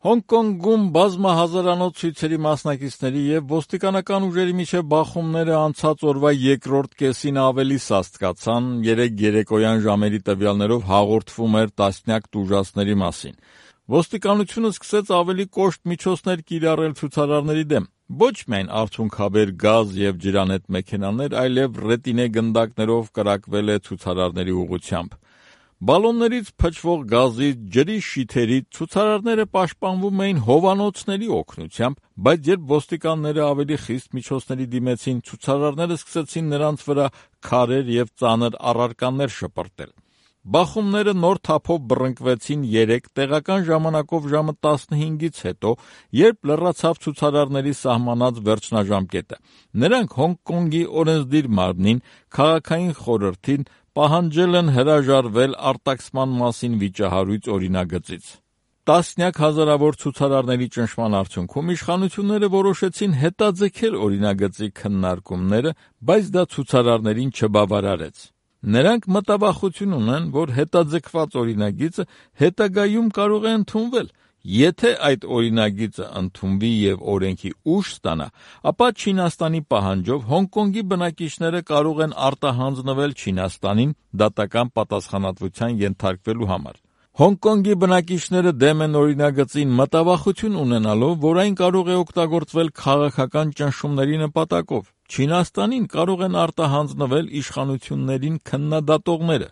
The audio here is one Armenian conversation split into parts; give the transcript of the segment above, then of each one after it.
Հոնկոնգում բազմահազարանոց ցույցերի մասնակիցների և ոստիկանական ուժերի միջև բախումները անցած օրվա երկրորդ կեսին ավելի սաստկացան, երեկ երեկոյան ժամերի տվյալներով հաղորդվում էր տասնյակ տուժածների մասին։ Ոստիկանությունը սկսեց ավելի կոշտ միջոցներ կիրառել ցուցարարների դեմ։ Ոչ միայն արցունքաբեր գազ և ջրանետ մեքենաներ, այլև ռետինե գնդակներով կրակվել է ցուցարարների ուղղությամբ։ Բալոններից փչվող գազից, ջրի շիթերից ցուցարարները պաշտպանվում էին հովանոցների օգնությամբ, բայց երբ ոստիկանները ավելի խիստ միջոցների դիմեցին, ցուցարարները սկսեցին նրանց վրա քարեր և ծանր առարկաներ շպրտել։ Բախումները նոր թափով բռնկվեցին երեկ տեղական ժամանակով ժամը 15-ից հետո, երբ լռացավ ցուցարարների սահմանած վերջնաժամկետը։ Նրանք Հոնկոնգի օրենսդիր մարմնին, քաղաքային խորհրդին պահանջել են հրաժարվել արտաքսման մասին վիճահարույց օրինագծից։ Տասնյակ հազարավոր ցուցարարների ճնշման արդյունքում իշխանությունները որոշեցին հետաձգել օրինագծի քննարկումները, բայց դա ցուցարարներին չբավարարեց։ Նրանք մտավախություն ունեն, որ հետաձգված օրինագիծը հետագայում կարող է ընդունվել։ Եթե այդ օրինագիծը ընդունվի և օրենքի ուժ ստանա, ապա Չինաստանի պահանջով Հոնկոնգի բնակիչները կարող են արտահանձնվել Չինաստանին դատական պատասխանատվության ենթարկվելու համար։ Հոնկոնգի բնակիչները դեմ են օրինագծին մտավախություն ունենալով, որ այն կարող է օգտագործվել քաղաքական ճնշումների նպատակով։ Չինաստանին կարող են արտահանձնվել իշխանություններին քննադատողները։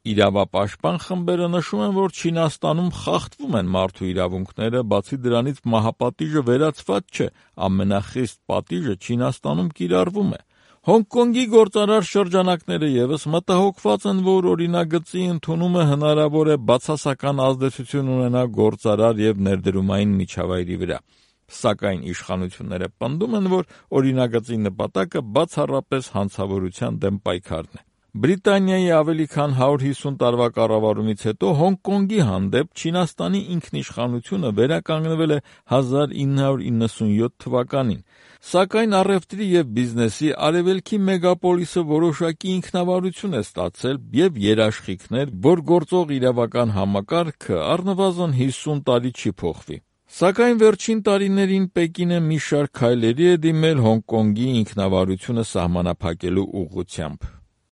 Իրավապաշտպան խմբերը նշում են, որ Չինաստանում խախտվում են մարդու իրավունքները, բացի դրանից մահապատիժը վերացված չէ, ամենախիստ պատիժը Չինաստանում կիրառվում է։ Հոնկոնգի գործարար շրջանակները ևս մտահոգված են, որ օրինագծի ընդունումը հնարավոր է բացասական ազդեցություն ունենա գործարար և ներդրումային միջավայրի վրա։ Սակայն իշխանությունները պնդում են, որ օրինագծի նպատակը բացառապես հանցավորության դեմ պայքարն է։ Բրիտանիայի ավելի քան 150 տարվա կառավարումից հետո Հոնկոնգի հանդեպ Չինաստանի ինքնիշխանությունը վերականգնվել է 1997 թվականին, սակայն առևտրի և բիզնեսի արևելքի մեգապոլիսը որոշակի ինքնավարություն է ստացել և երաշխիքներ, որ գործող իրավական համակարգը առնվազն 50 տարի չի փոխվի։ Սակայն վերջին տարիներին Պեկինը մի շարք քայլերի է դիմել Հոնկոնգի ինքնավարությունը սահմանափակելու ուղղությամբ։